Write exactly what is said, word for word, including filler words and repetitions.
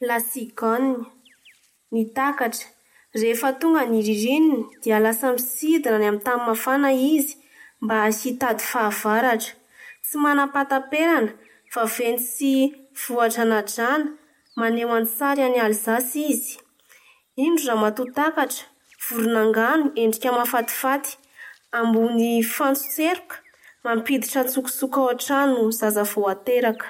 La cigogne. Ny takatra. Rehefa tonga ny ririnina dia lasa misidina any amin'ny tany mafana izy mba hitady fahavaratra. Tsy manam-pahataperana, vaventy sy voadranadrana, maneho an-tsary an'i Alsace izy. Indro ramatoa takatra, voron'angano, endrika mahafatifaty, ambony fantson-tseroka, mampiditra an-tsokosoko ao an-trano zaza vao ateraka.